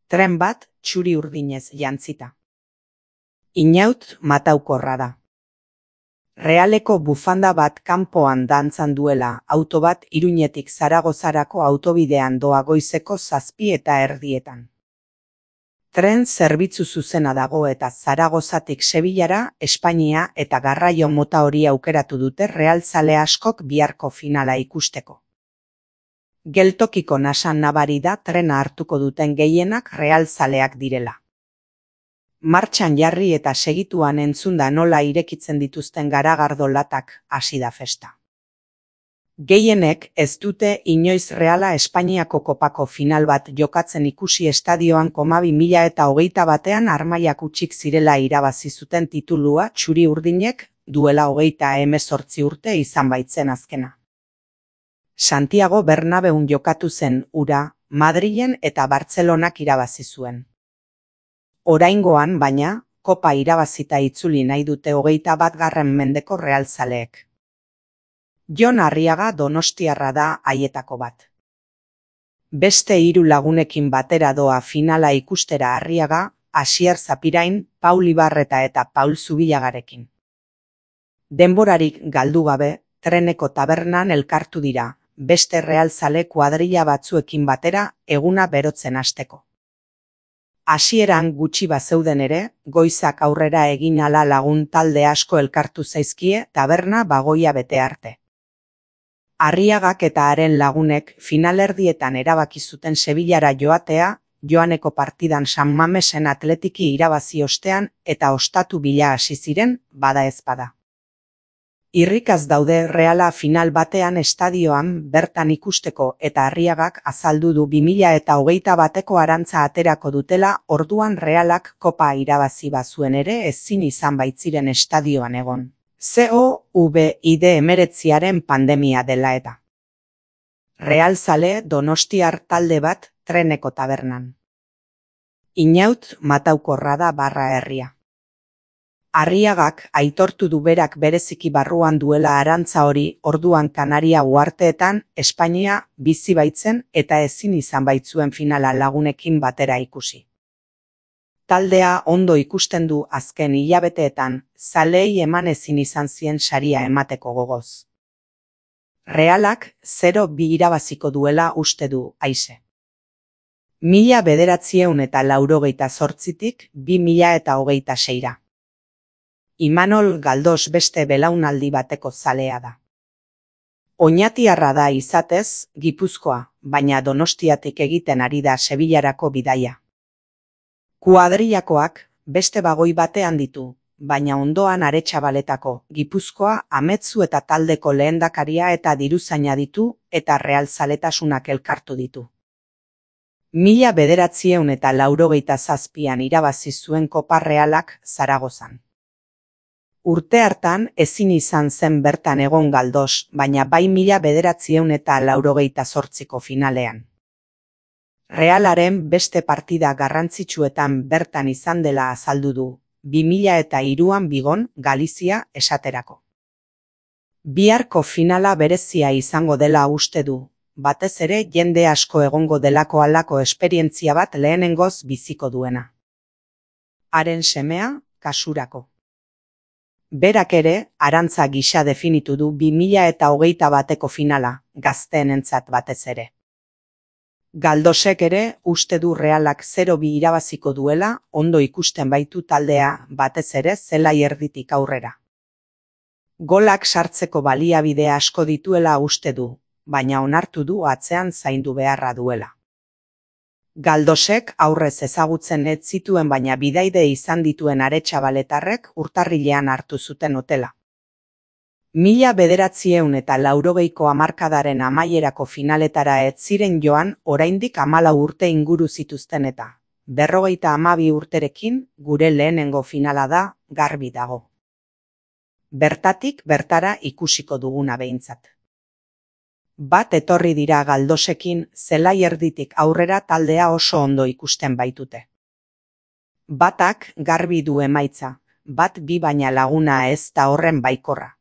Tren bat txuri urdinez jantzita. Inaut mataukorra da. Realeko bufanda bat kanpoan dantzan duela auto bat Iruñetik Zaragozarako autobidean doa goizeko 7:30. Tren zerbitzu zuzena dago eta Zaragozatik Sevillara, Espainia eta garraio mota hori aukeratu dute realzale askok biharko finala ikusteko. Geltokiko nasan nabari da trena hartuko duten gehienak realzaleak direla. Martxan jarri eta segituan entzunda nola irekitzen dituzten garagardo latak hasi da festa. Gehienek ez dute inoiz Reala Espainiako kopako final bat jokatzen ikusi estadioan 2021 Armaiak hutsik zirela irabazi zuten titulua txuri urdinek duela 38 urte izan baitzen azkena. Santiago Bernabeun jokatu zen hura, Madrilen eta Bartzelonak irabazi zuen. Oraingoan, baina, kopa irabazita itzuli nahi dute 21. mendeko realzaleek. Jon Arriaga donostiarra da haietako bat. Beste 3 lagunekin batera doa finala ikustera Arriaga, Asier Zapirain, Paul Ibarreta eta Paul Zubilagarekin. Denborarik galdu gabe, treneko tabernan elkartu dira, beste realzale kuadrilla batzuekin batera eguna berotzen hasteko. Hasieran gutxi bazeuden ere, goizak aurrera egin ala lagun talde asko elkartu zaizkie taberna bagoia bete arte. Arriagak eta haren lagunek finalerdietan erabaki zuten Sevillara joatea, joaneko partidan San Mamesen Atletiki irabazi ostean eta ostatu bila hasi ziren, bada ezpada. Irrikaz daude Reala final batean estadioan bertan ikusteko eta Arriagak azaldu du 2021ko arantza aterako dutela orduan Realak kopa irabazi bazuen ere ezin izan baitziren estadioan egon. COVID-19 pandemia dela eta. Realzale donostiar talde bat treneko tabernan. Inaut mataukorra da barra herria. Arriagak aitortu du berak bereziki barruan duela arantza hori orduan Kanaria uharteetan Espainia bizi baitzen eta ezin izan baitzuen finala lagunekin batera ikusi. Taldea ondo ikusten du azken hilabeteetan, zaleei eman ezin izan zien saria emateko gogoz. Realak 0-2 irabaziko duela uste du Aise. 1988tik 2026. Imanol Galdos beste belaunaldi bateko zalea da. Oñatiarra da izatez, Gipuzkoa, baina Donostiatik egiten ari da Sevillarako bidaia. Kuadrillakoak beste bagoi batean ditu, baina ondoan Aretxabaletako, Gipuzkoa, Ametzu eta taldeko lehendakaria eta diruzaina ditu eta realzaletasunak elkartu ditu. 1987an irabazi zuen Kopa Realak Zaragozan. Urte hartan ezin izan zen bertan egon Galdos, baina bai 1988ko finalean. Realaren beste partida garrantzitsuetan bertan izan dela azaldu du, 2003an Bigon, Galizia esaterako. Biharko finala berezia izango dela uste du, batez ere jende asko egongo delako halako esperientzia bat lehenengoz biziko duena. Haren semea, kasurako. Berak ere, arantza gisa definitu du 2021ko finala, gazteenentzat batez ere. Galdosek ere uste du Realak 0-2 irabaziko duela, ondo ikusten baitu taldea, batez ere zelai erditik aurrera. Golak sartzeko baliabide asko dituela uste du, baina onartu du atzean zaindu beharra duela. Galdosek aurrez ezagutzen ez zituen baina bidaide izan dituen Aretxabaletarrek urtarrilean hartu zuten hotela. 1980ko hamarkadaren amaierako finaletara ez ziren joan oraindik 14 urte inguru zituzten eta 52 urterekin gure lehenengo finala da, garbi dago. Bertatik bertara ikusiko duguna behintzat. Bat etorri dira Galdosekin zelai erditik aurrera taldea oso ondo ikusten baitute. Batak garbi du emaitza, bat bi baina laguna ez da horren baikorra.